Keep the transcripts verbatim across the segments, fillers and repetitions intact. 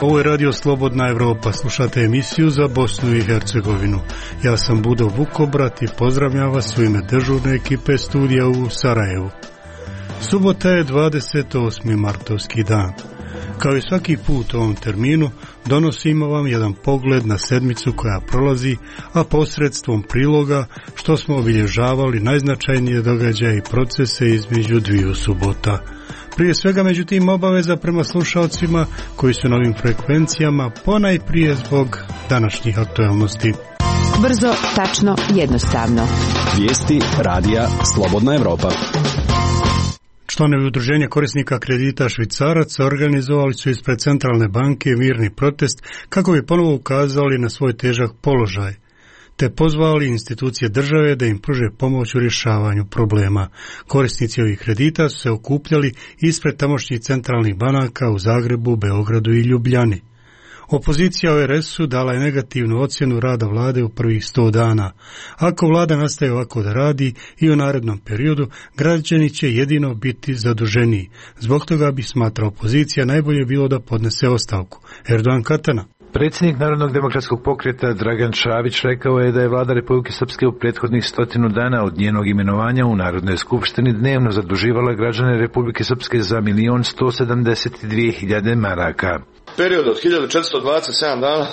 Ovo je Radio Slobodna Evropa, slušate emisiju za Bosnu i Hercegovinu. Ja sam Budo Vukobrat i pozdravljam vas u ime dežurne ekipe studija u Sarajevu. Subota je dvadeset osmi martovski dan. Kao i svaki put u ovom terminu, donosimo vam jedan pogled na sedmicu koja prolazi, a posredstvom priloga što smo obilježavali najznačajnije događaje i procese između dviju subota. Prije svega, međutim, obaveza prema slušalcima koji su na ovim frekvencijama, ponajprije zbog današnjih aktualnosti. Brzo, tačno, jednostavno. Vijesti radija Slobodna Evropa. Članovi udruženja korisnika kredita Švicaraca organizovali su ispred Centralne banke mirni protest kako bi ponovo ukazali na svoj težak položaj, te pozvali institucije države da im pruže pomoć u rješavanju problema. Korisnici ovih kredita su se okupljali ispred tamošnjih centralnih banaka u Zagrebu, Beogradu i Ljubljani. Opozicija o er esu dala je negativnu ocjenu rada vlade u prvih sto dana. Ako vlada nastaje ovako da radi i u narednom periodu, građani će jedino biti zaduženiji. Zbog toga bi, smatra opozicija, najbolje bilo da podnese ostavku. Erdogan Katana. Predsjednik Narodnog demokratskog pokreta Dragan Šavić rekao je da je vlada Republike Srpske u prethodnih stotinu dana od njenog imenovanja u Narodnoj skupštini dnevno zaduživala građane Republike Srpske za milion sto sedamdeset dvije hiljade maraka. Period od hiljadu četiristo dvadeset sedam dana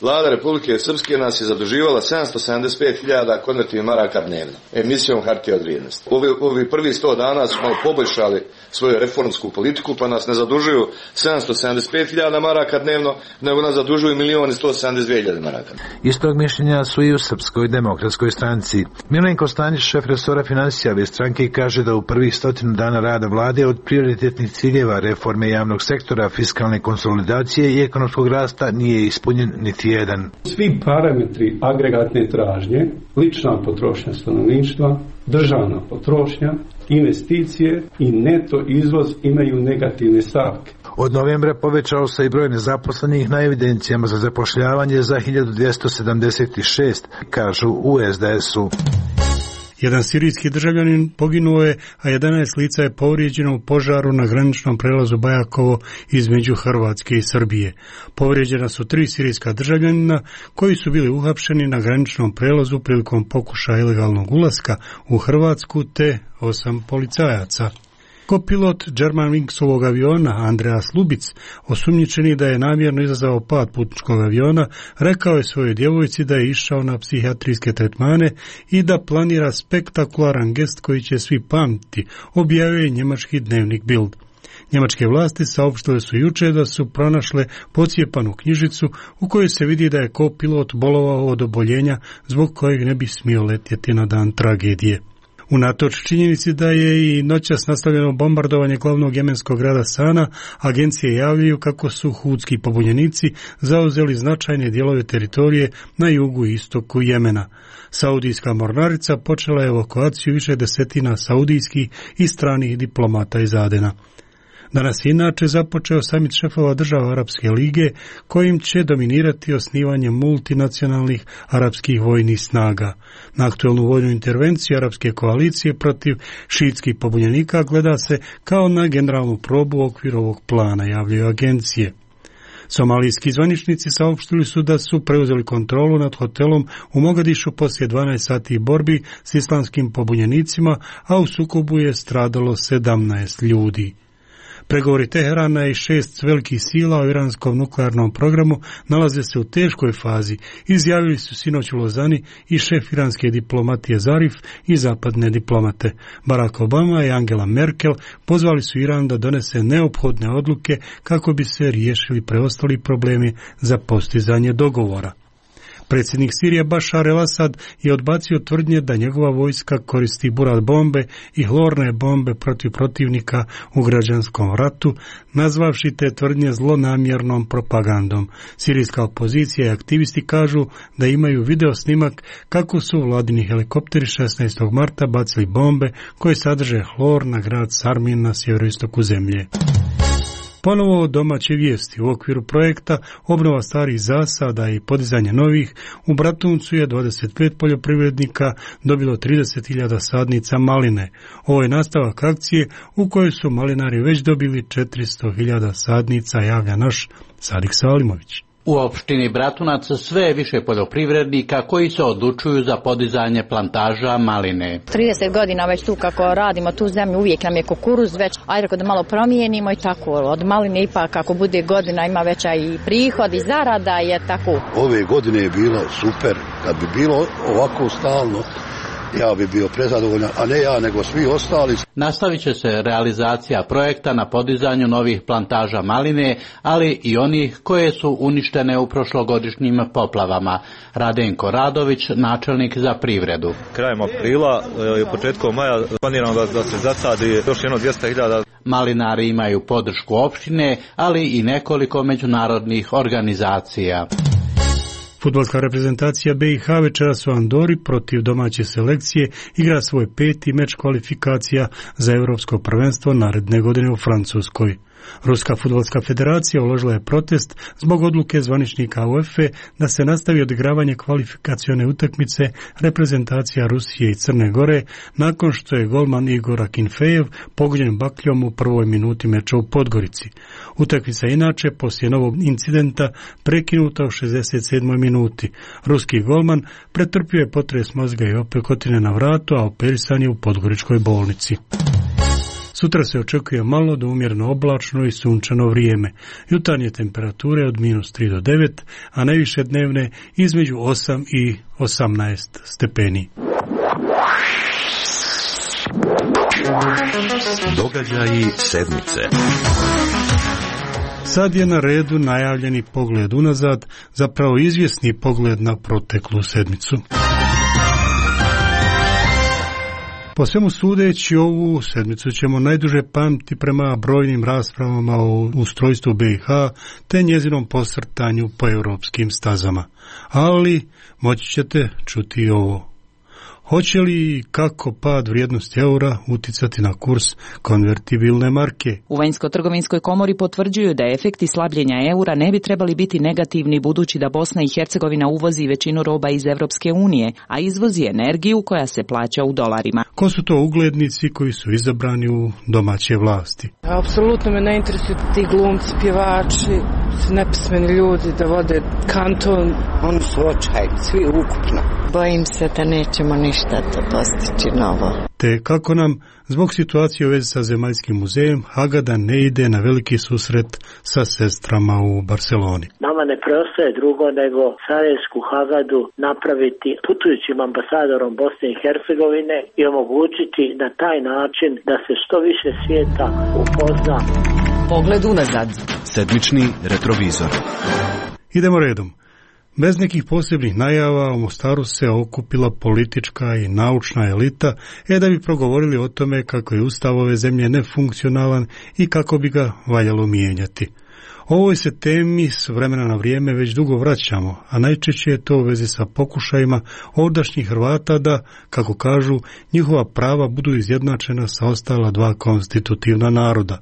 vlada Republike Srpske nas je zaduživala sedamsto sedamdeset pet hiljada konvertivnih maraka dnevno, emisijom hartija od vrijednosti. Ovi, ovi prvi sto dana smo poboljšali svoju reformsku politiku, pa nas ne zadužuju sedamsto sedamdeset pet hiljada maraka dnevno, nego nas zadužuju milion sto sedamdeset dvije hiljade maraka. Istog mišljenja su i u Srpskoj demokratskoj stranci. Milenko Stanić, šef resora financija ove stranke, kaže da u prvih stotinu dana rada vlade od prioritetnih ciljeva reforme javnog sektora, fiskalne konsolidacije i ekonomskog rasta nije ispunjen niti jedan. Svi parametri agregatne tražnje, lična potrošnja stanovništva, državna potrošnja, investicije i neto izvoz imaju negativne stavke. Od novembra povećao se i broj nezaposlenih na evidencijama za zapošljavanje za hiljadu dvjesto sedamdeset šest, kažu u es de esu. Jedan sirijski državljanin poginuo je, a jedanaest lica je povrijeđeno u požaru na graničnom prelazu Bajakovo između Hrvatske i Srbije. Povrijeđena su tri sirijska državljanina koji su bili uhapšeni na graničnom prelazu prilikom pokušaja ilegalnog ulaska u Hrvatsku, te osam policajaca. Kopilot Germanwingsovog aviona Andreas Lubic, osumnjičeni da je namjerno izazvao pad putničkog aviona, rekao je svojoj djevojci da je išao na psihijatrijske tretmane i da planira spektakularan gest koji će svi pamtiti, objavio je njemački dnevnik Bild. Njemačke vlasti saopštile su juče da su pronašle pocijepanu knjižicu u kojoj se vidi da je kopilot bolovao od oboljenja zbog kojeg ne bi smio letjeti na dan tragedije. Unatoč činjenici da je i noćas nastavljeno bombardovanje glavnog jemenskog grada Sana, agencije javljaju kako su hudski pobunjenici zauzeli značajne dijelove teritorije na jugu i istoku Jemena. Saudijska mornarica počela je evakuaciju više desetina saudijskih i stranih diplomata iz Adena. Danas je inače započeo samit šefova država Arapske lige, kojim će dominirati osnivanje multinacionalnih arapskih vojnih snaga. Na aktuelnu vojnu intervenciju arapske koalicije protiv šiitskih pobunjenika gleda se kao na generalnu probu u okviru ovog plana, javljaju agencije. Somalijski zvaničnici saopštili su da su preuzeli kontrolu nad hotelom u Mogadišu poslije dvanaest sati borbi s islamskim pobunjenicima, a u sukobu je stradalo sedamnaest ljudi. Pregovori Teherana i šest velikih sila o iranskom nuklearnom programu nalaze se u teškoj fazi, izjavili su sinoć u Lozani i šef iranske diplomatije Zarif i zapadne diplomate. Barack Obama i Angela Merkel pozvali su Iran da donese neophodne odluke kako bi se riješili preostali problemi za postizanje dogovora. Predsjednik Sirije Bašar el-Asad je odbacio tvrdnje da njegova vojska koristi burat bombe i hlorne bombe protiv protivnika u građanskom ratu, nazvavši te tvrdnje zlonamjernom propagandom. Sirijska opozicija i aktivisti kažu da imaju video snimak kako su vladini helikopteri šesnaestog marta bacili bombe koje sadrže hlor na grad Sarmin na sjeveroistoku zemlje. Ponovo domaće vijesti. U okviru projekta obnova starih zasada i podizanje novih u Bratuncu je dvadeset pet poljoprivrednika dobilo trideset hiljada sadnica maline. Ovo je nastavak akcije u kojoj su malinari već dobili četiristo hiljada sadnica, javlja naš Sadik Salimović. U opštini Bratunac sve je više poljoprivrednika koji se odlučuju za podizanje plantaža maline. trideset godina već tu kako radimo tu zemlju, uvijek nam je kukuruz već, ajde da malo promijenimo i tako. Od maline ipak kako bude godina ima veća i prihod i zarada je tako. Ove godine je bilo super, kad bi bilo ovako stalno, ja bi bio prezadovoljan, a ne ja, nego svi ostali. Nastavit će se realizacija projekta na podizanju novih plantaža maline, ali i onih koje su uništene u prošlogodišnjim poplavama. Radenko Radović, načelnik za privredu. Krajem aprila i početkom maja planiramo da, da se zasadi još jedno dvjesto hiljada. Malinari imaju podršku opštine, ali i nekoliko međunarodnih organizacija. Fudbalska reprezentacija B i H večeras u Andori protiv domaće selekcije igra svoj peti meč kvalifikacija za Europsko prvenstvo naredne godine u Francuskoj. Ruska fudbalska federacija uložila je protest zbog odluke zvaničnika UEFA da se nastavi odigravanje kvalifikacione utakmice reprezentacija Rusije i Crne Gore nakon što je golman Igor Akinfejev pogođen bakljom u prvoj minuti meča u Podgorici. Utakmica inače poslije novog incidenta prekinuta u šezdeset sedmoj minuti. Ruski golman pretrpio je potres mozga i opekotine na vratu, a operisan je u podgoričkoj bolnici. Sutra se očekuje malo do umjereno oblačno i sunčano vrijeme. Jutarnje temperature od minus tri do devet, a najviše dnevne između osam i osamnaest stepeni. Događaji sedmice. Sad je na redu najavljeni pogled unazad, zapravo izvjesni pogled na proteklu sedmicu. Po svemu sudeći, ovu sedmicu ćemo najduže pamtiti prema brojnim raspravama o ustrojstvu B i H te njezinom posrtanju po europskim stazama. Ali moći ćete čuti i ovo. Hoće li i kako pad vrijednosti eura uticati na kurs konvertibilne marke? U Vanjsko-trgovinskoj komori potvrđuju da efekti slabljenja eura ne bi trebali biti negativni budući da Bosna i Hercegovina uvozi većinu roba iz Evropske unije, a izvozi energiju koja se plaća u dolarima. Ko su to uglednici koji su izabrani u domaće vlasti? Apsolutno me ne interesuju ti glumci, pjevači, nepismeni ljudi da vode kanton. Oni su očajni, svi ukupno. Bojim se da nećemo ništa to postići novo. Te kako nam, zbog situacije u vezi sa Zemaljskim muzejem, Hagada ne ide na veliki susret sa sestrama u Barceloni. Nama ne preostaje drugo nego Sarajevsku Hagadu napraviti putujućim ambasadorom Bosne i Hercegovine i omogućiti na taj način da se što više svijeta upozna. Pogled unazad. Sedmični retrovizor. Idemo redom. Bez nekih posebnih najava u Mostaru se okupila politička i naučna elita e da bi progovorili o tome kako je ustav ove zemlje nefunkcionalan i kako bi ga valjalo mijenjati. Ovoj se temi s vremena na vrijeme već dugo vraćamo, a najčešće je to u vezi sa pokušajima ovdašnjih Hrvata da, kako kažu, njihova prava budu izjednačena sa ostala dva konstitutivna naroda.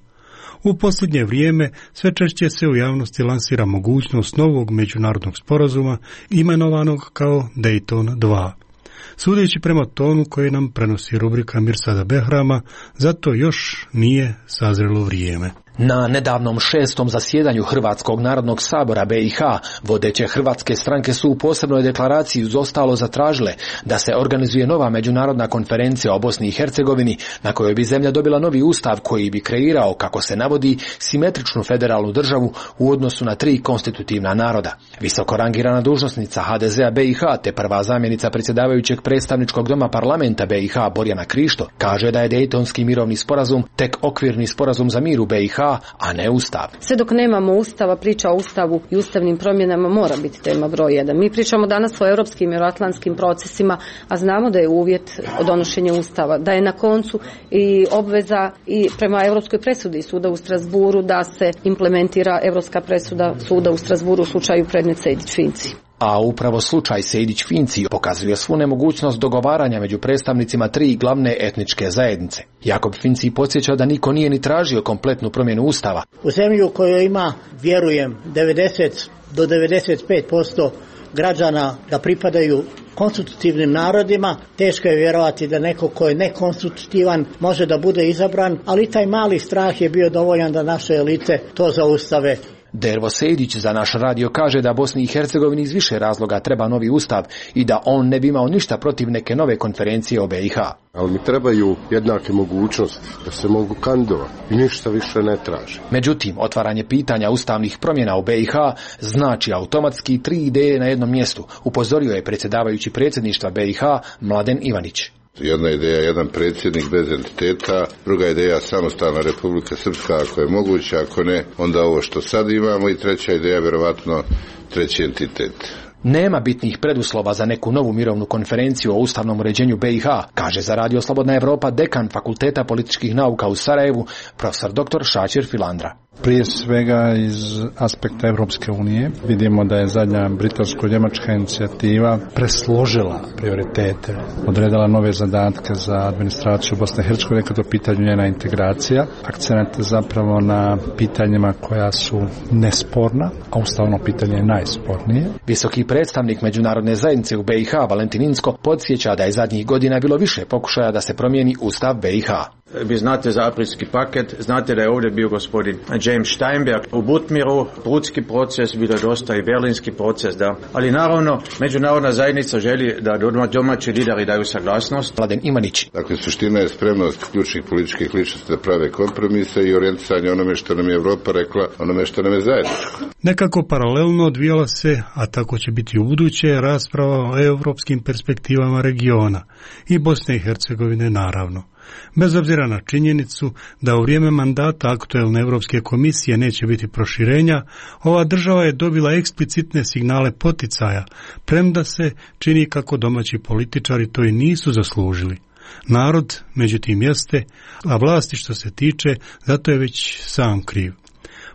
U posljednje vrijeme sve češće se u javnosti lansira mogućnost novog međunarodnog sporazuma imenovanog kao Dayton dva. Sudeći prema tonu koji nam prenosi rubrika Mirsada Behrama, zato još nije sazrelo vrijeme. Na nedavnom šestom zasjedanju Hrvatskog narodnog sabora B i H vodeće hrvatske stranke su u posebnoj deklaraciji uz ostalo zatražile da se organizuje nova međunarodna konferencija o Bosni i Hercegovini na kojoj bi zemlja dobila novi ustav koji bi kreirao, kako se navodi, simetričnu federalnu državu u odnosu na tri konstitutivna naroda. Visoko rangirana dužnosnica H D Z-a B i H te prva zamjenica predsjedavajućeg predstavničkog doma parlamenta B i H Borjana Krišto kaže da je Dejtonski mirovni sporazum tek okvirni sporazum za mir u B i H, a ne ustav. Sve dok nemamo ustava, priča o ustavu i ustavnim promjenama mora biti tema broj jedan. Mi pričamo danas o europskim i euroatlantskim procesima, a znamo da je uvjet donošenja ustava, da je na koncu i obveza i prema europskoj presudi suda u Strasburu da se implementira europska presuda suda u Strasburu u slučaju predmet Sejdić-Finci. A upravo slučaj Sejdić-Finci pokazuje svu nemogućnost dogovaranja među predstavnicima tri glavne etničke zajednice. Jakob Finci podsjeća da niko nije ni tražio kompletnu promjenu ustava. U zemlji u kojoj ima, vjerujem, devedeset do devedeset pet posto građana da pripadaju konstitutivnim narodima, teško je vjerovati da neko ko je nekonstitutivan može da bude izabran, ali taj mali strah je bio dovoljan da naše elite to zaustave. Dervo Sejdić za naš radio kaže da Bosni i Hercegovini iz više razloga treba novi ustav i da on ne bi imao ništa protiv neke nove konferencije o B i H. Ali mi trebaju jednake mogućnosti da se mogu kandidovati i ništa više ne traže. Međutim, otvaranje pitanja ustavnih promjena u B i H znači automatski tri ideje na jednom mjestu, upozorio je predsjedavajući predsjedništva B i H Mladen Ivanić. Jedna ideja, jedan predsjednik bez entiteta, druga ideja samostalna Republika Srpska ako je moguće, ako ne, onda ovo što sad imamo i treća ideja, vjerovatno treći entitet. Nema bitnih preduslova za neku novu mirovnu konferenciju o ustavnom uređenju B i H, kaže za Radio Slobodna Evropa dekan Fakulteta političkih nauka u Sarajevu, profesor doktor Šačir Filandra. Prije svega iz aspekta Europske unije vidimo da je zadnja britansko-njemačka inicijativa presložila prioritete, odredila nove zadatke za administraciju Bosne i Hercegovine kada je u pitanju njena integracija, akcenat zapravo na pitanjima koja su nesporna, a ustavno pitanje je najspornije. Visoki predstavnik međunarodne zajednice u B i H Valentin Inzko podsjeća da je zadnjih godina bilo više pokušaja da se promijeni ustav B i H. Vi znate za aprilski paket, znate da je ovdje bio gospodin James Steinberg u Butmiru, Brudski proces, bilo je dosta i Berlinski proces, da. Ali naravno, međunarodna zajednica želi da domaći lideri daju saglasnost. Mladen Imanić. Dakle, suština je spremnost ključnih političkih ličnosti da prave kompromise i orijentisanje onome što nam je Evropa rekla, onome što nam je zajedničko. Nekako paralelno odvijala se, a tako će biti u buduće, rasprava o europskim perspektivama regiona i Bosne i Hercegovine naravno. Bez obzira na činjenicu da u vrijeme mandata aktuelne Europske komisije neće biti proširenja, ova država je dobila eksplicitne signale poticaja, premda se čini kako domaći političari to i nisu zaslužili. Narod, međutim, jeste, a vlasti što se tiče, zato je već sam kriv.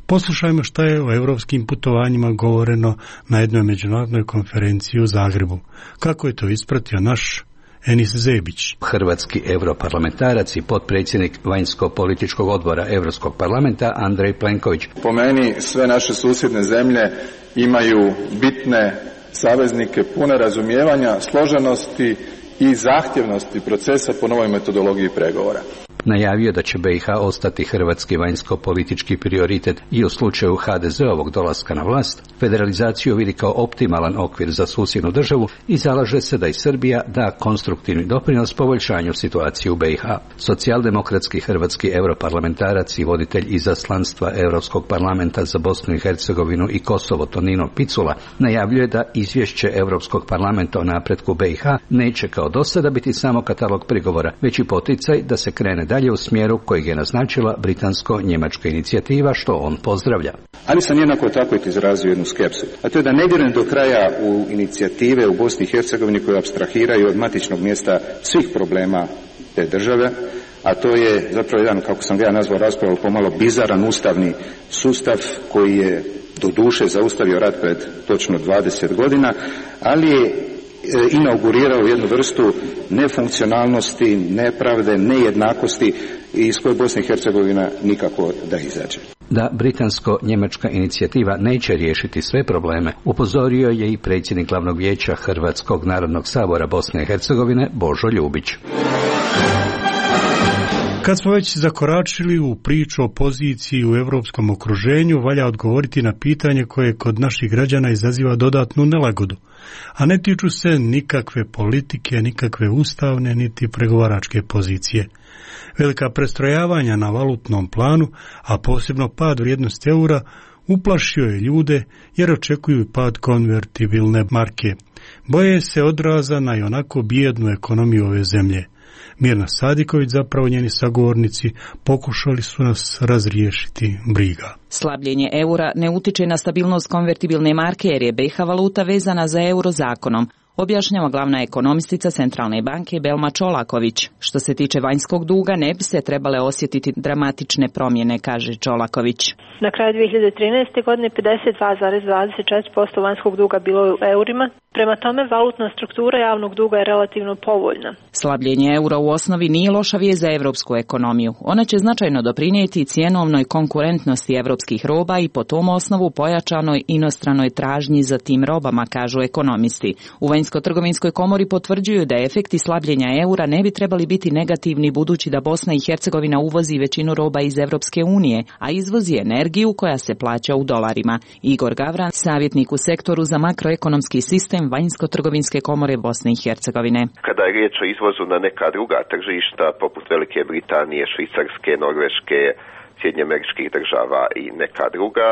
Poslušajmo šta je o europskim putovanjima govoreno na jednoj međunarodnoj konferenciji u Zagrebu. Kako je to ispratio naš Enis Zebić. Hrvatski europarlamentarac i potpredsjednik vanjsko-političkog odbora Europskog parlamenta Andrej Plenković. Po meni sve naše susjedne zemlje imaju bitne saveznike, pune razumijevanja, složenosti i zahtjevnosti procesa po novoj metodologiji pregovora. Najavio da će B i H ostati hrvatski vanjsko-politički prioritet i u slučaju H D Z-ovog dolaska na vlast, federalizaciju vidi kao optimalan okvir za susjednu državu i zalaže se da i Srbija da konstruktivni doprinos poboljšanju situacije u B i H. Socijaldemokratski hrvatski europarlamentarac i voditelj izaslanstva Europskog parlamenta za Bosnu i Hercegovinu i Kosovo Tonino Picula najavljuje da izvješće Europskog parlamenta o napretku B i H neće kao do sada biti samo katalog prigovora, već i poticaj da se krene dalje u smjeru kojeg je naznačila britansko-njemačka inicijativa, što on pozdravlja. Ali sam jednako tako izrazio jednu skepsu, a to je da ne vjerujem do kraja u inicijative u Bosni i Hercegovini koje apstrahiraju od matičnog mjesta svih problema te države, a to je zapravo jedan, kako sam ga ja nazvao raspravu, pomalo bizaran ustavni sustav koji je do duše zaustavio rat pred točno dvadeset godina, ali je inaugurirao jednu vrstu nefunkcionalnosti, nepravde, nejednakosti iz koje Bosna i Hercegovina nikako da izađe. Da britansko-njemačka inicijativa neće riješiti sve probleme, upozorio je i predsjednik glavnog vijeća Hrvatskog narodnog sabora Bosne i Hercegovine Božo Ljubić. Kad smo već zakoračili u priču o poziciji u europskom okruženju, valja odgovoriti na pitanje koje kod naših građana izaziva dodatnu nelagodu, a ne tiču se nikakve politike, nikakve ustavne, niti pregovaračke pozicije. Velika prestrojavanja na valutnom planu, a posebno pad vrijednosti eura, uplašio je ljude jer očekuju pad konvertibilne marke. Boje se odraza na i onako bijednu ekonomiju ove zemlje. Mirna Sadiković, zapravo njeni sagovornici, pokušali su nas razriješiti briga. Slabljenje eura ne utiče na stabilnost konvertibilne marke jer je B i H valuta vezana za euro zakonom. Objašnjava glavna ekonomistica Centralne banke Belma Čolaković. Što se tiče vanjskog duga, ne bi se trebale osjetiti dramatične promjene, kaže Čolaković. Na kraju dvije hiljade trinaeste. godine pedeset dva zarez dvadeset četiri posto vanjskog duga bilo je u eurima. Prema tome, valutna struktura javnog duga je relativno povoljna. Slabljenje eura u osnovi nije loša vijest za evropsku ekonomiju. Ona će značajno doprinijeti cjenovnoj konkurentnosti evropskih roba i po tom osnovu pojačanoj inostranoj tražnji za tim robama, kažu ekonomisti. U Vanjsko-trgovinskoj komori potvrđuju da efekti slabljenja eura ne bi trebali biti negativni budući da Bosna i Hercegovina uvozi većinu roba iz Evropske unije, a izvozi energiju koja se plaća u dolarima. Igor Gavran, savjetnik u sektoru za makroekonomski sistem Vanjsko-trgovinske komore Bosne i Hercegovine. Kada je riječ o izvozu na neka druga tržišta, poput Velike Britanije, Švicarske, Norveške, Sjedinjenih Američkih Država i neka druga,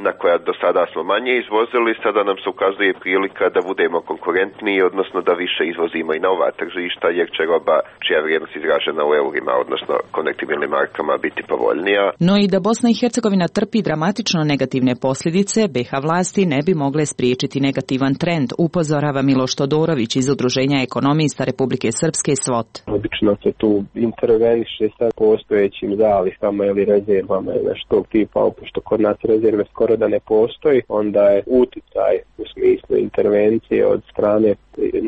na koja do sada smo manje izvozili, sada nam se ukazuje prilika da budemo konkurentniji, odnosno da više izvozimo i na ova tržišta, jer će roba čija vrijednost izražena u eurima, odnosno konvertibilnim markama, biti povoljnija. No i da Bosna i Hercegovina trpi dramatično negativne posljedice, B iH vlasti ne bi mogle spriječiti negativan trend, upozorava Miloš Todorović iz Udruženja ekonomista Republike Srpske S V O T. Obično se tu interveniše sa postojećim zalihama ili rezervama ili nešto tipa, pošto kod nas rezerve skoro da ne postoji, onda je uticaj u smislu intervencije od strane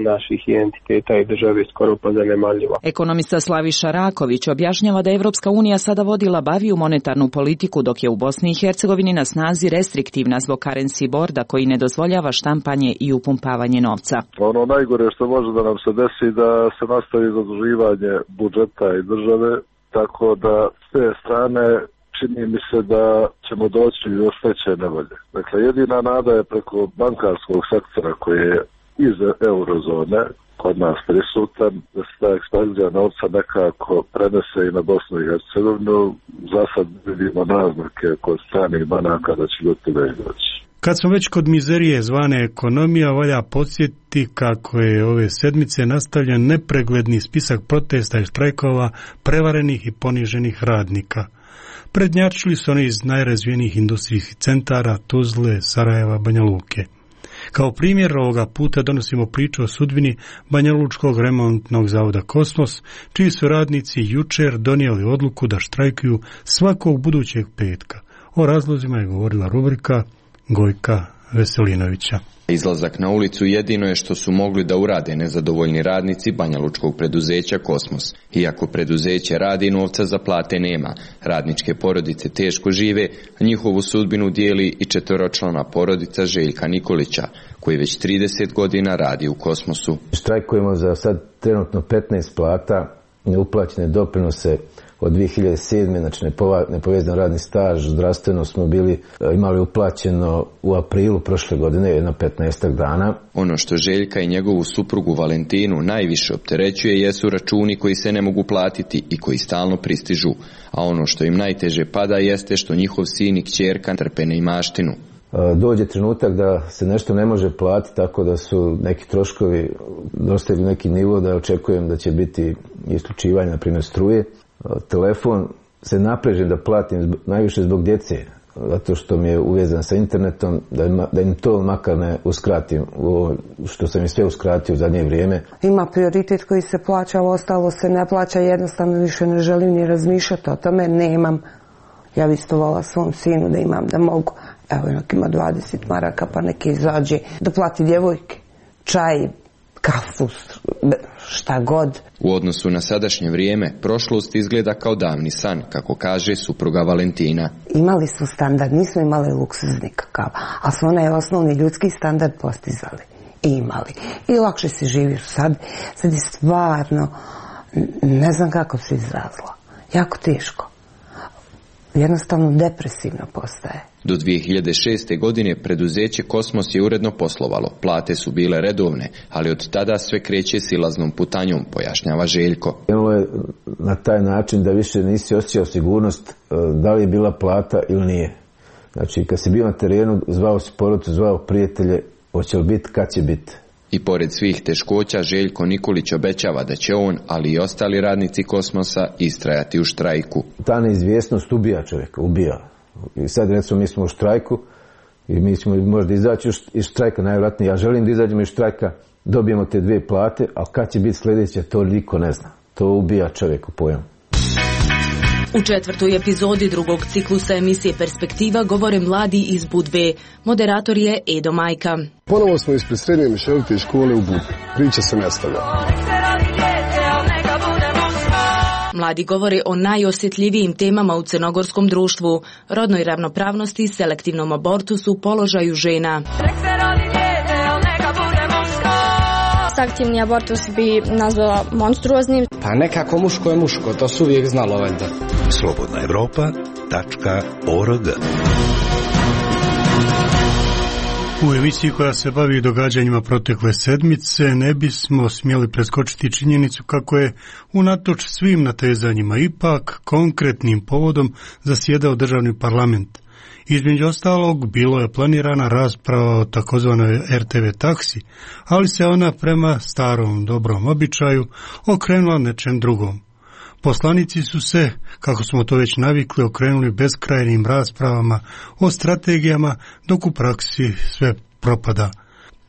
naših entiteta i države skoro pa zanemarljiva. Ekonomista Slaviša Raković objašnjava da Evropska unija sada vodi labaviju monetarnu politiku, dok je u Bosni i Hercegovini na snazi restriktivna zbog currency boarda koji ne dozvoljava štampanje i upumpavanje novca. Ono najgore što može da nam se desi da se nastavi zaduživanje budžeta i države, tako da s te strane čini mi se da ćemo doći do veće nevolje. Dakle, jedina nada je preko bankarskog sektora koji je iz eurozone kod nas prisutan, da se ta ekspanzija novca nekako prenese i na Bosnu i Hercegovinu. Za sad vidimo naznake kod stranih banaka da će do toga doći. Kad smo već kod mizerije zvane ekonomija, valja podsjetiti kako je ove sedmice nastavljen nepregledni spisak protesta i štrajkova prevarenih i poniženih radnika. Prednjačili su oni iz najrazvijenijih industrijskih centara Tuzle, Sarajeva, Banja Luke. Kao primjer ovoga puta donosimo priču o sudbini Banjalučkog remontnog zavoda Kosmos, čiji su radnici jučer donijeli odluku da štrajkuju svakog budućeg petka. O razlozima je govorila rubrika Gojka Veselinovića. Izlazak na ulicu jedino je što su mogli da urade nezadovoljni radnici banjalučkog preduzeća Kosmos. Iako preduzeće radi, novca za plate nema. Radničke porodice teško žive, a njihovu sudbinu dijeli i četveročlana porodica Željka Nikolića, koji već trideset godina radi u Kosmosu. Štrajkujemo za sad trenutno petnaest plata, neuplaćene doprinose od dvije hiljade sedme. znači nepovezan radni staž, zdravstveno smo bili imali uplaćeno u aprilu prošle godine, jedno petnaestak dana. Ono što Željka i njegovu suprugu Valentinu najviše opterećuje jesu računi koji se ne mogu platiti i koji stalno pristižu, a ono što im najteže pada jeste što njihov sin i kćerka trpe neimaštinu. Dođe trenutak da se nešto ne može platiti, tako da su neki troškovi dostigli neki nivo da očekujem da će biti isključivanje, na primjer struje. Telefon se naprežem da platim najviše zbog djece, zato što mi je uvezan sa internetom, da im, da im to makar ne uskratim, što sam im sve uskratio u zadnje vrijeme. Ima prioritet koji se plaća, ali ostalo se ne plaća, jednostavno više ne želim ni razmišljati o tome, nemam. Ja bi isto volila svom sinu da imam, da mogu. Evo, nek ima dvadeset maraka, pa neki izađe da plati djevojke, čaj, kafu, šta god. U odnosu na sadašnje vrijeme, prošlost izgleda kao davni san, kako kaže supruga Valentina. Imali su standard, nismo imali luksuzni kakav, ali smo onaj osnovni ljudski standard postizali i imali. I lakše se živi sad, sad je stvarno, ne znam kako se izrazila, jako teško. Jednostavno depresivno postaje. Do dvije hiljade šeste. godine preduzeće Kosmos je uredno poslovalo. Plate su bile redovne, ali od tada sve kreće silaznom putanjom, pojašnjava Željko. Krenulo je na taj način da više nisi osjećao sigurnost da li je bila plata ili nije. Znači, kad si bio na terenu, zvao si porodicu, zvao prijatelje, hoće li biti, kad će biti. I pored svih teškoća, Željko Nikolić obećava da će on, ali i ostali radnici Kosmosa, istrajati u štrajku. Ta neizvjesnost ubija čovjeka, ubija. I sad recimo mi smo u štrajku i mi ćemo možda izaći iz štrajka, najvjerojatnije ja želim da izađemo iz štrajka, dobijemo te dvije plate, a kad će biti sljedeća, to niko ne zna. To ubija čovjeku pojam. U četvrtoj epizodi drugog ciklusa emisije Perspektiva govore mladi iz Budve. Moderator je Edo Majka. Ponovo smo ispred srednje mješovite škole u Budvi. Priča se nastavlja. Mladi govore o najosjetljivijim temama u crnogorskom društvu, rodnoj ravnopravnosti, selektivnom abortusu, položaju žena. Aktivni abortus bi nazvala monstruoznim. Pa nekako muško je muško, to su uvijek znalo valjda. slobodna evropa tačka org. U emisiji koja se bavi događanjima protekle sedmice ne bismo smjeli preskočiti činjenicu kako je unatoč svim natezanjima ipak konkretnim povodom zasjedao državni parlament. Između ostalog, bilo je planirana rasprava o takozvanoj er te ve taksi, ali se ona prema starom dobrom običaju okrenula nečem drugom. Poslanici su se, kako smo to već navikli, okrenuli beskrajnim raspravama o strategijama, dok u praksi sve propada.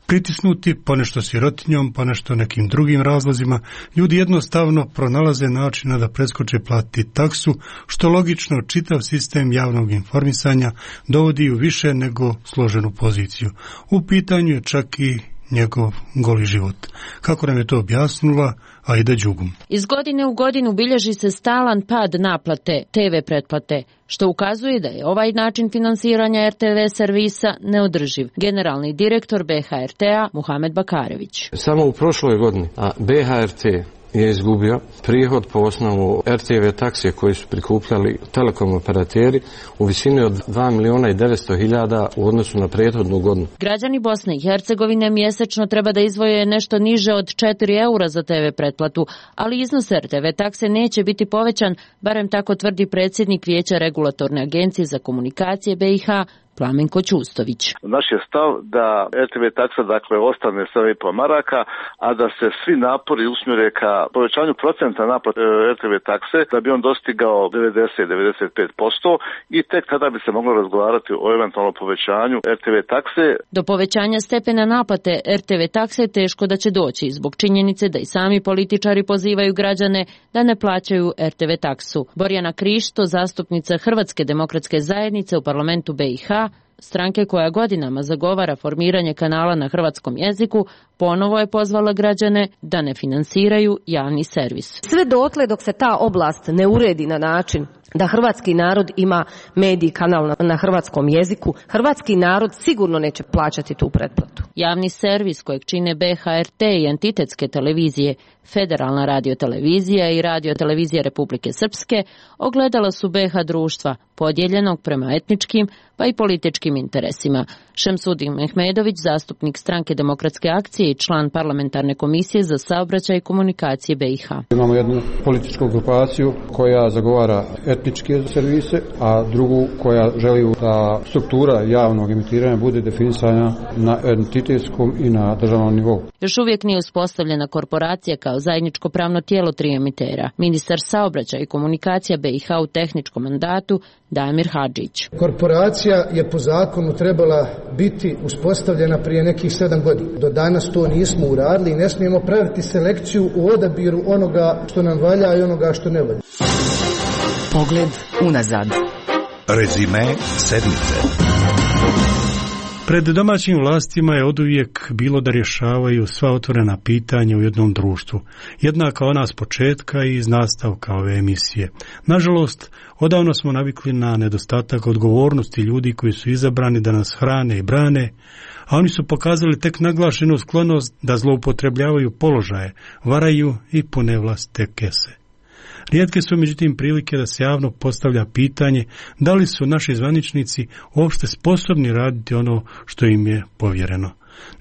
Pritisnuti ponešto sirotinjom, ponešto nekim drugim razlozima, ljudi jednostavno pronalaze načina da preskoče platiti taksu, što logično čitav sistem javnog informisanja dovodi u više nego složenu poziciju. U pitanju je čak i njegov goli život. Kako nam je to objasnila Aida Đugum. Iz godine u godinu bilježi se stalan pad naplate te ve pretplate, što ukazuje da je ovaj način finansiranja er te ve servisa neodrživ. Generalni direktor be ha er te-a Muhamed Bakarević. Samo u prošloj godini a be ha er te je izgubio prihod po osnovu er te ve taksije koji su prikupljali telekom operateri u visini od dva miliona i devetsto hiljada u odnosu na prethodnu godinu. Građani Bosne i Hercegovine mjesečno treba da izdvoje nešto niže od četiri eura za te ve pretplatu, ali iznos er te ve takse neće biti povećan, barem tako tvrdi predsjednik Vijeća regulatorne agencije za komunikacije be i ha Plamenko Ćustović. Naš je stav da er te ve taksa dakle ostane sedam i pol maraka, a da se svi napori usmjere ka povećanju procenta naplate er te ve takse da bi on dostigao devedeset do devedeset pet posto i tek tada bi se moglo razgovarati o eventualnom povećanju er te ve takse. Do povećanja stepena naplate er te ve takse teško da će doći zbog činjenice da i sami političari pozivaju građane da ne plaćaju er te ve taksu. Borjana Krišto, zastupnica Hrvatske demokratske zajednice u parlamentu be i ha, stranke koja godinama zagovara formiranje kanala na hrvatskom jeziku, ponovo je pozvala građane da ne finansiraju javni servis. Sve dotle dok se ta oblast ne uredi na način da hrvatski narod ima medij kanal na, na hrvatskom jeziku, hrvatski narod sigurno neće plaćati tu pretplatu. Javni servis kojeg čine be ha er te i entitetske televizije, Federalna radiotelevizija i Radiotelevizija Republike Srpske ogledala su be ha društva, podijeljenog prema etničkim pa i političkim interesima. Šemsudin Mehmedović, zastupnik Stranke demokratske akcije i član parlamentarne komisije za saobraćaj i komunikacije be i ha. Imamo jednu političku grupaciju koja zagovara etničke servise, a drugu koja želi da struktura javnog emitiranja bude definisana na entitetskom i na državnom nivou. Još uvijek nije uspostavljena korporacija kao zajedničko pravno tijelo tri emitera. Ministar saobraćaja i komunikacija be i ha u tehničkom mandatu Damir Hadžić. Korporacija je po zakonu trebala biti uspostavljena prije nekih sedam godina. Do danas to nismo uradili i ne smijemo praviti selekciju u odabiru onoga što nam valja i onoga što ne valja. Pogled unazad. Rezime sedmice. Pred domaćim vlastima je oduvijek bilo da rješavaju sva otvorena pitanja u jednom društvu, jednaka ona s početka i iz nastavka ove emisije. Nažalost, odavno smo navikli na nedostatak odgovornosti ljudi koji su izabrani da nas hrane i brane, a oni su pokazali tek naglašenu sklonost da zloupotrebljavaju položaje, varaju i pune vlastite kese. Rijetke su međutim prilike da se javno postavlja pitanje da li su naši zvaničnici uopšte sposobni raditi ono što im je povjereno.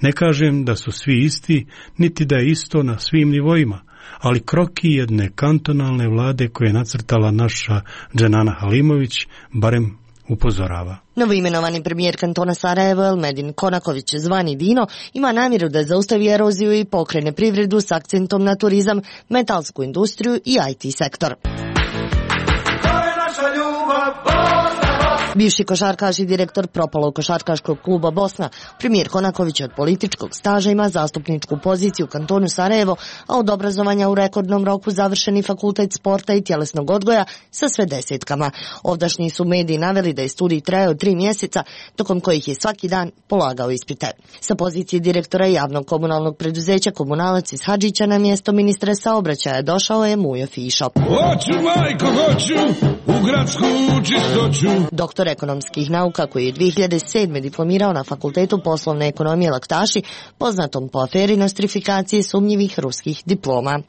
Ne kažem da su svi isti, niti da je isto na svim nivoima, ali kroki jedne kantonalne vlade koje je nacrtala naša Dženana Halimović barem upozorava. Novoimenovani premijer kantona Sarajevo Elmedin Konaković, zvani Dino, ima namjeru da zaustavi eroziju i pokrene privredu s akcentom na turizam, metalsku industriju i i te sektor. To je naša ljubav, Bosna, Bosna. Bivši košarkaš i direktor propalog košarkaškog kluba Bosna, premijer Konaković od političkog staža ima zastupničku poziciju u kantonu Sarajevo, a od obrazovanja u rekordnom roku završeni fakultet sporta i tjelesnog odgoja sa sve desetkama. Ovdašnji su mediji naveli da je studij trajao tri mjeseca, tokom kojih je svaki dan polagao ispite. Sa pozicije direktora javnog komunalnog preduzeća Komunalac iz Hadžića na mjesto ministra saobraćaja došao je Mujo Fišo. Hoću, majko, hoću, u gradsku čistoću. Doktor ekonomskih nauka koji je dvije hiljade sedme diplomirao na Fakultetu poslovne ekonomije Laktaši, poznatom po aferi nostrifikacije sumnjivih ruskih diploma.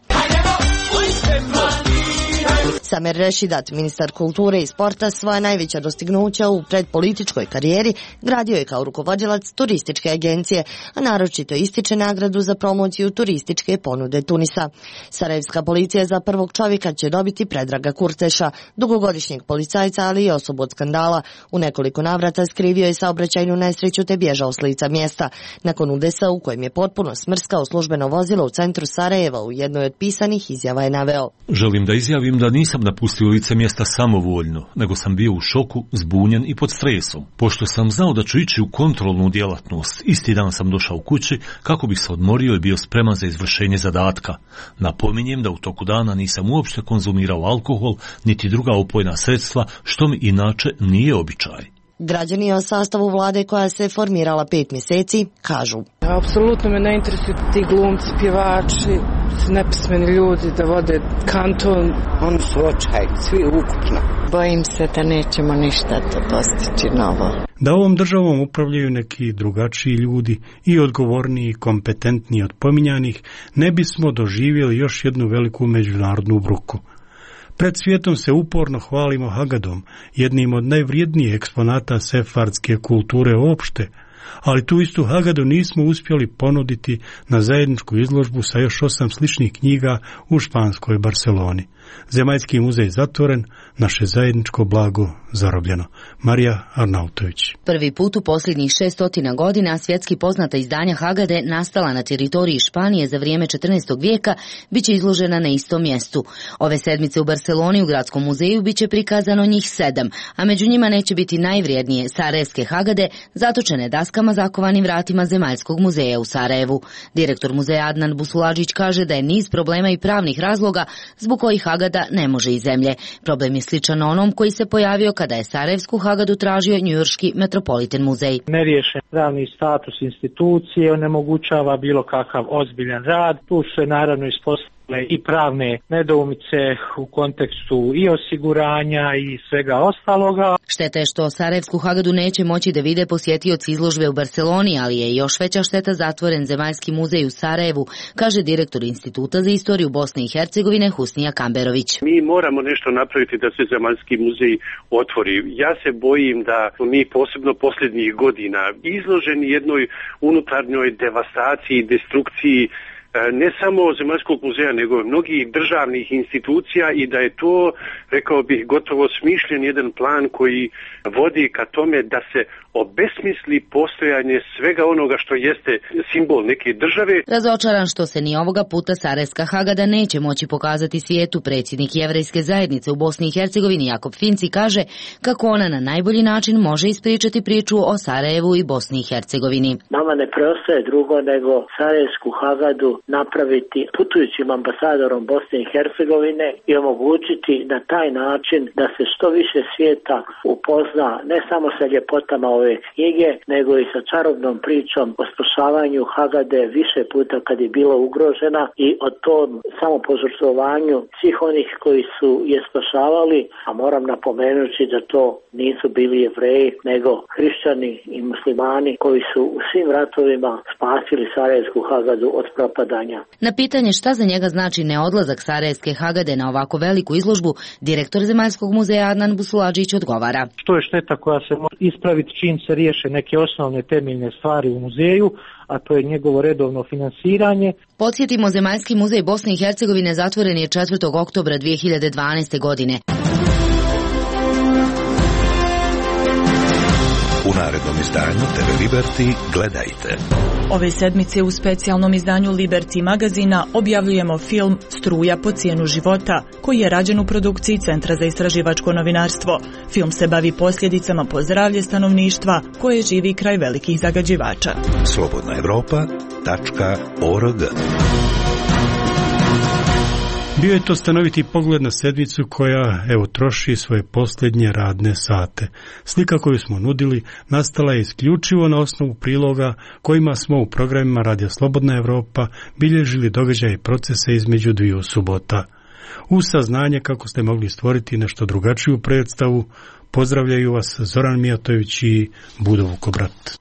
Samer Rešidat, ministar kulture i sporta, svoja najveća dostignuća u predpolitičkoj karijeri gradio je kao rukovodilac turističke agencije, a naročito ističe nagradu za promociju turističke ponude Tunisa. Sarajevska policija za prvog čovjeka će dobiti Predraga Kurteša, dugogodišnjeg policajca, ali i osobu od skandala. U nekoliko navrata skrivio je saobraćajnu nesreću te bježao s lica mjesta. Nakon udesa u kojem je potpuno smrskao službeno vozilo u centru Sarajeva, u jednoj od pisanih izjava je naveo: Želim da izjavim da nisam napustio lice mjesta samovoljno, nego sam bio u šoku, zbunjen i pod stresom. Pošto sam znao da ću ići u kontrolnu djelatnost, isti dan sam došao kući kako bih se odmorio i bio spreman za izvršenje zadatka. Napominjem da u toku dana nisam uopšte konzumirao alkohol, niti druga opojna sredstva, što mi inače nije običaj. Građani o sastavu vlade koja se formirala pet mjeseci kažu: Apsolutno me ne interesuju ti glumci, pjevači, nepismeni ljudi da vode kanton. Oni su očaj, svi ukupno. Bojim se da nećemo ništa to postići novo. Da ovom državom upravljaju neki drugačiji ljudi i odgovorniji i kompetentniji od pominjanih, ne bismo doživjeli još jednu veliku međunarodnu bruku. Pred svijetom se uporno hvalimo Hagadom, jednim od najvrijednijih eksponata sefardske kulture uopšte, ali tu istu Hagadu nismo uspjeli ponuditi na zajedničku izložbu sa još osam sličnih knjiga u španskoj Barceloni. Zemaljski muzej zatvoren, naše zajedničko blago zarobljeno. Marija Arnautović. Prvi put u posljednjih šestotina godina svjetski poznata izdanja Hagade, nastala na teritoriji Španije za vrijeme četrnaestog vijeka, bit će izložena na istom mjestu. Ove sedmice u Barceloni u Gradskom muzeju bit će prikazano njih sedam, a među njima neće biti najvrijednije sarajevske Hagade, zatočene daskama zakovanim vratima Zemaljskog muzeja u Sarajevu. Direktor muzeja Adnan Busuladžić kaže da je niz problema i pravnih razloga zbog kojih Hagada ne može iz zemlje. Problem je sličan onom koji se pojavio kada je sarajevsku Hagadu tražio njujorški Metropolitan muzej. Neriješen pravni status institucije onemogućava bilo kakav ozbiljan rad. Tu se naravno ispostavljaju i pravne nedoumice u kontekstu i osiguranja i svega ostaloga. Šteta je što sarajevsku Hagadu neće moći da vide posjetioci izložbe u Barceloni, ali je još veća šteta zatvoren Zemaljski muzej u Sarajevu, kaže direktor Instituta za istoriju Bosne i Hercegovine Husnija Kamberović. Mi moramo nešto napraviti da se Zemaljski muzej otvori. Ja se bojim da mi posebno posljednjih godina izloženi jednoj unutarnjoj devastaciji, destrukciji ne samo Zemaljskog muzeja, nego mnogih državnih institucija i da je to, rekao bih, gotovo smišljen jedan plan koji vodi ka tome da se obesmisli postojanje svega onoga što jeste simbol neke države. Razočaran što se ni ovoga puta sarajevska Hagada neće moći pokazati svijetu, predsjednik jevrejske zajednice u Bosni i Hercegovini Jakob Finci kaže kako ona na najbolji način može ispričati priču o Sarajevu i Bosni i Hercegovini. Nama ne preostaje drugo nego sarajevsku Hagadu napraviti putujućim ambasadorom Bosne i Hercegovine i omogućiti na taj način da se što više svijeta upozna ne samo sa ljepotama ove knjige, nego i sa čarobnom pričom o spašavanju Hagade više puta kad je bila ugrožena i o tom samopožrtvovanju svih onih koji su je spašavali, a moram napomenuti da to nisu bili Jevreji, nego hrišćani i muslimani koji su u svim ratovima spasili sarajevsku Hagadu od propadanja. Na pitanje šta za njega znači neodlazak sarajevske Hagade na ovako veliku izložbu, direktor Zemaljskog muzeja Adnan Busuladžić odgovara: To je šteta koja se može ispraviti čim se riješe neke osnovne temeljne stvari u muzeju, a to je njegovo redovno finansiranje. Podsjetimo, Zemaljski muzej Bosne i Hercegovine zatvoren je četvrtog oktobra dvije hiljade dvanaeste. godine. U narednom izdanju te ve Liberty gledajte. Ove sedmice u specijalnom izdanju Liberty magazina objavljujemo film Struja po cijenu života, koji je rađen u produkciji Centra za istraživačko novinarstvo. Film se bavi posljedicama po zdravlje stanovništva koje živi kraj velikih zagađivača. slobodna evropa tačka org. Bio je to stanoviti pogled na sedmicu koja, evo, troši svoje posljednje radne sate. Slika koju smo nudili nastala je isključivo na osnovu priloga kojima smo u programima Radija Slobodna Evropa bilježili događaje i procese između dviju subota. Uz saznanje kako ste mogli stvoriti nešto drugačiju predstavu, pozdravljaju vas Zoran Mijatović i Budo Vukobrat.